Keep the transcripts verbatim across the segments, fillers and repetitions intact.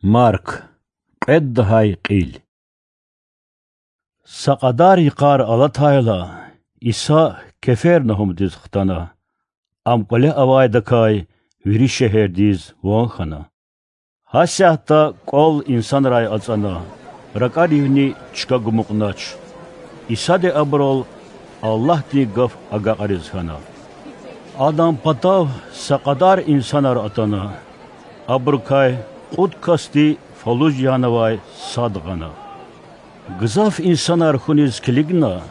Марк, кьвед лагьай кьил. Са кьадар йикъар алатайла, Иса Кефернагьумдиз хтана. Ам кӀвале авайдакай вири шегьердиз ван хьана. Гьасятда кӀвал инсанрай ацӀана, ракӀаривни чка гумукьнач. Исади абурал Аллагьдин гаф агакьариз хьана. Адан патав са кьадар инсанар атана. Абурукай кьуд касди фалуж янавай сад гъана. Гзаф инсанар хьуниз килигна,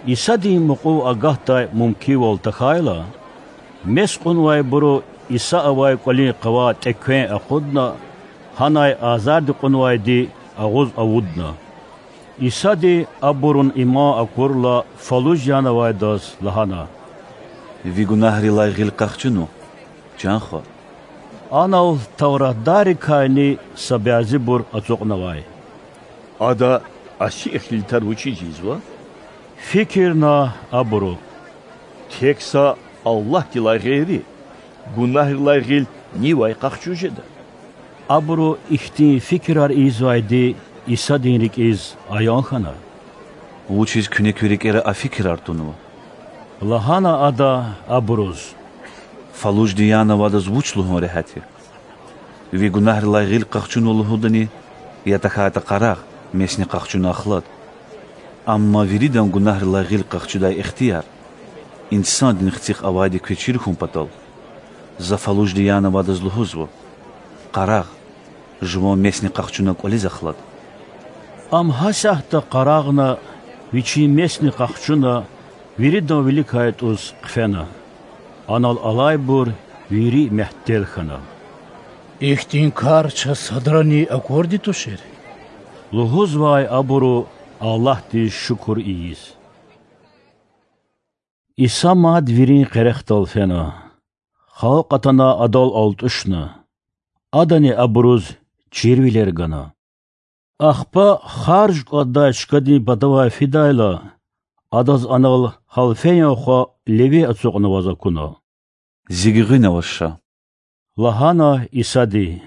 Исадин мукьув агатдай мумкинвал тахьайла, мес кьунвайбуру Иса авай кӀвалин къавай тӀеквен акъудна, гьанай азарди кьунвайди агъуз авудна. Исади абурун иман акурла, фалуж янавайдаз лагьана: Ви гунагьрилай гъил къахчуна, чан хва. Анал тавратдаррикайни са бязибур ацукьнавай. Ада асиихъ литар вучиз ийизва? Фикирна абуру. Тек са Аллагьдилай гъейри гунагьрилай гъил нивай къахчуз жеда? Абуру ихьтин фикирар ийизвайди Исадин рикӀиз аян хьана. Вучиз куьне куь рикӀера а фикирар тунва? Лагьана Ада абуруз: Фалужди янавайдаз вуч лугьун регьят я? Ви гунагьрилай гъил къахчуна лугьудани, я тахьайтӀа къарагъ, месни къахчуна ахлад? Амма виридан гунагьрилай гъил къахчудай ихтияр Инсандин Хцихъ авайди квез чир хьун патал, За фалужди янавайдаз лугьузва: къарагъ, жуван месни къахчуна кӀвализ ахлад. Ам гьасятда къарагъна, вичин месни къахчуна, виридан виликай тӀуз хъфена. Анал алайбур вири мягьтел хьана. Ихьтин кар чаз садрани акурди тушир? Лугьузвай абуру Аллагьдиз шукур ийиз. Иса мад вирин къерехдал фена. Халкь атана Адал алтӀушна. Адани абуруз чирвилер гана. Ахпа харж кӀватӀдай чкадин патавай фидайла, Адаз анал гьалфеян хва леви ацукьнаваз акуна. Зи гуьгъуьнаваз ша,– лагьана Исади.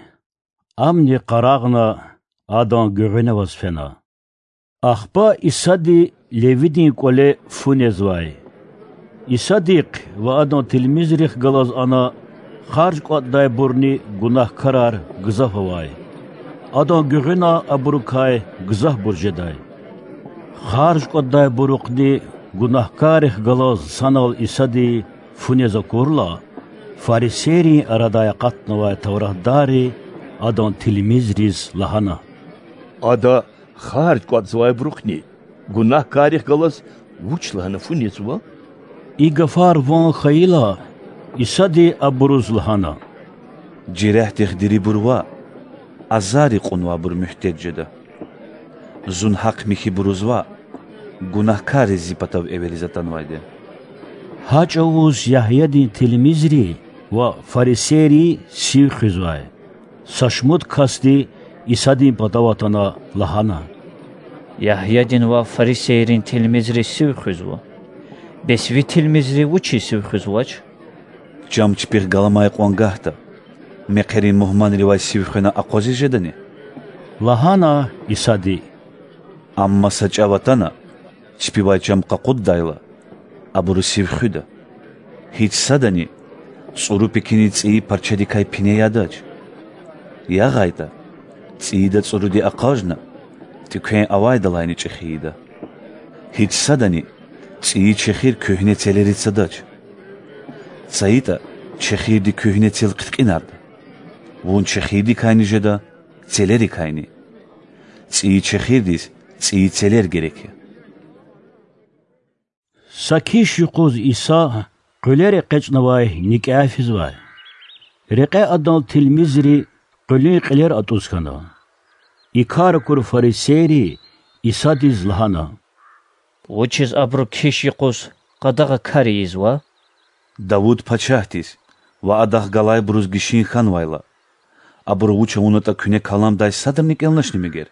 Амни къарагъна, Адан гуьгъуьнаваз фена. Ахпа Исади левидин кӀвале фу незвай. Исадихъ ва Адан тилмизрихъ галаз ана харж кӀватӀдайбурни гунагькарар гзаф авай. Адан гуьгъуьна абурукай гзафбур жедай. Харж кӀватӀдайбурухъни гунагькаррихъ галаз санал Исади фу нез акурла, фарисейрин арадай акъатнавай тавратдарри Адан тилмизриз лагьана: Ада харж кӀватӀзавайбурухъни гунагькаррихъ галаз вуч лагьана фу незва? И гафар ван хьайила, Исади абуруз лагьана: Жерягьдихъ дирибур ваъ, азарри кьунвайбур муьгьтеж жеда. Зун гьахъ-михьибуруз ваъ, гунагькарри Зи патав эвериз атанвайди я. Гьа чӀавуз Ягьядин тилмизри ва фарисейри сив хуьзвай. Са шумуд касди Исадин патав атана лагьана: Ягьядин ва фарисейрин тилмизри сив хуьзва, бес Ви тилмизри вучиз сив хуьзвач? Чам чпихъ галамай кьван гагьда, мехъерин мугьманривай сив хвена акъвазиз жедани? лагьана Исади. Амма са чӀав атана, чпивай чам къакъуддайла, абуру сив хуьда. Гьич садани цӀуру пекинин цӀийи парчадикай пине ядач. ЯгъайтӀа, цӀийида цӀуруди акъажна, тӀеквен авайдалайни чӀехи ийида. Гьич садани цӀийи чехир куьгьне целериз цадач. ЦайитӀа, чехирди куьгьне цел хъиткьинарда. Вун чехирдикайни жеда, целерикайни. ЦӀийи чехирдиз цӀийи целер герек я. Са киш юкъуз Иса къуьлер экъечӀнавай никӀяй физвай. Рекье Адан тилмизри къуьлуьн кьилер атӀуз хьана. И кар акур фарисейри Исадиз лагьана: Вучиз абуру киш юкъуз къадагъа кар ийизва? Давуд пачагьдиз ва адахъ галайбуруз гишин хьанвайла, абуру вуч авунатӀа куьне каламдай садрани кӀелначни мегер?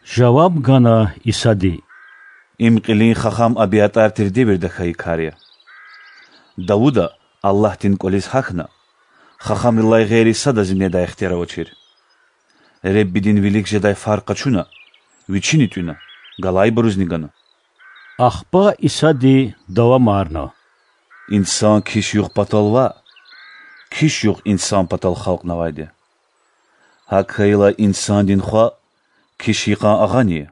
жаваб гана Исади. Им кьилин хахам АбиатӀар тир девирда хьайи кар я. Давуда Аллагьдин кӀвализ гьахьна, хахамрилай гъейри садазни недай ихтияр авачир. Реббидин вилик жедай фар къачуна, Вичини тӀуьна, галайбурузни гана. Ахпа Исади давамарна: Инсан киш югъ патал ваъ, киш югъ инсан патал халкьнавайди я. ГьакӀ хьайила Инсандин Хва киш йикъан агъани я.